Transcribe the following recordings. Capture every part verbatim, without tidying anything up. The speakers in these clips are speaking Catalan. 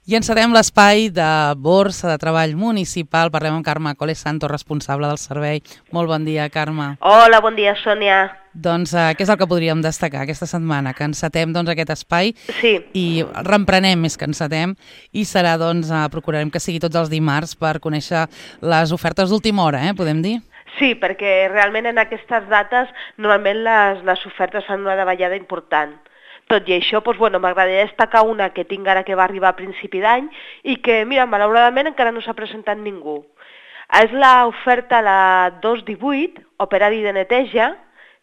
I encetem l'espai de Borsa de Treball Municipal. Parlem amb Carme Coles Santos, responsable del servei. Molt bon dia, Carme. Hola, bon dia, Sònia. Doncs eh, què és el que podríem destacar aquesta setmana? Que encetem doncs, aquest espai Sí. i reemprenem més que encetem i serà, doncs, eh, procurarem que sigui tots els dimarts per conèixer les ofertes d'última hora, eh, podem dir? Sí, perquè realment en aquestes dates normalment les, les ofertes fan una davallada important. Tot i això, doncs, bueno, m'agradaria destacar una que tinc ara que va arribar a principi d'any i que, mira, malauradament encara no s'ha presentat ningú. És l'oferta la dos divuit, operari de neteja,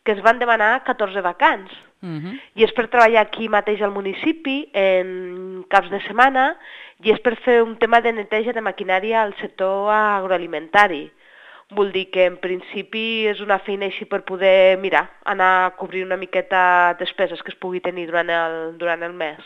que es van demanar catorze vacants. Uh-huh. I és per treballar aquí mateix al municipi, en caps de setmana, i és per fer un tema de neteja de maquinària al sector agroalimentari. Vol dir que en principi és una feina així per poder, mira, anar a cobrir una miqueta despeses que es pugui tenir durant el, durant el mes.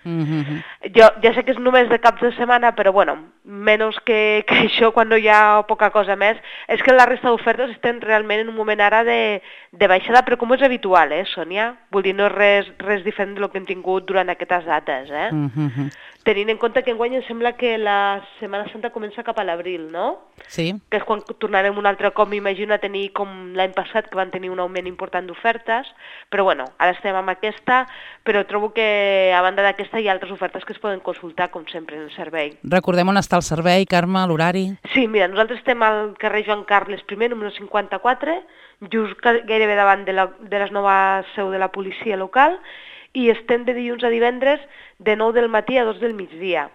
Uh-huh. Jo ja sé que és només de caps de setmana, però bueno, menys que, que això quan no hi ha poca cosa més, és que la resta d'ofertes estem realment en un moment ara de, de baixada, però com és habitual, eh, Sònia? Vull dir, no és res, res diferent del que hem tingut durant aquestes dates, eh? Uh-huh. Tenint en compte que enguany em sembla que la Setmana Santa comença cap a l'abril, no? Sí. Que és quan tornarem un altre cop, m'imagino, a tenir com l'any passat, que van tenir un augment important d'ofertes, però bueno, ara estem amb aquesta, però trobo que a banda d'aquesta hi ha altres ofertes que es poden consultar, com sempre, en el servei. Recordem on està el servei, Carme, l'horari? Sí, mira, nosaltres estem al carrer Joan Carles I, número cinquanta-quatre, just gairebé davant de la, de la nova seu de la policia local, i estem de dilluns a divendres de nou del matí a dos del migdia.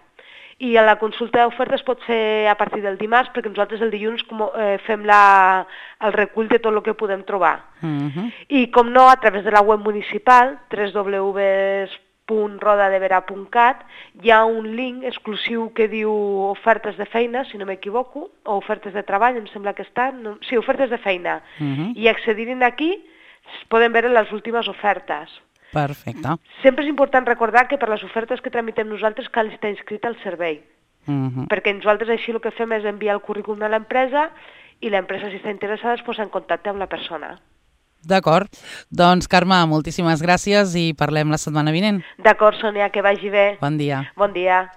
I a la consulta d'ofertes pot ser a partir del dimarts, perquè nosaltres el dilluns com, eh, fem la, el recull de tot el que podem trobar. Uh-huh. I com no, a través de la web municipal, w w w punt rodadevera punt cat, hi ha un link exclusiu que diu ofertes de feina, si no m'equivoco, o ofertes de treball, em sembla que està, no, sí, ofertes de feina. Uh-huh. I accedir-hi aquí poden veure les últimes ofertes. Perfecte. Sempre és important recordar que per les ofertes que tramitem nosaltres cal estar inscrit al servei, Uh-huh. perquè nosaltres així el que fem és enviar el currículum a l'empresa i l'empresa, si està interessada, es posa en contacte amb la persona. D'acord. Doncs, Carme, moltíssimes gràcies i parlem la setmana vinent. D'acord, Sònia, que vagi bé. Bon dia. Bon dia.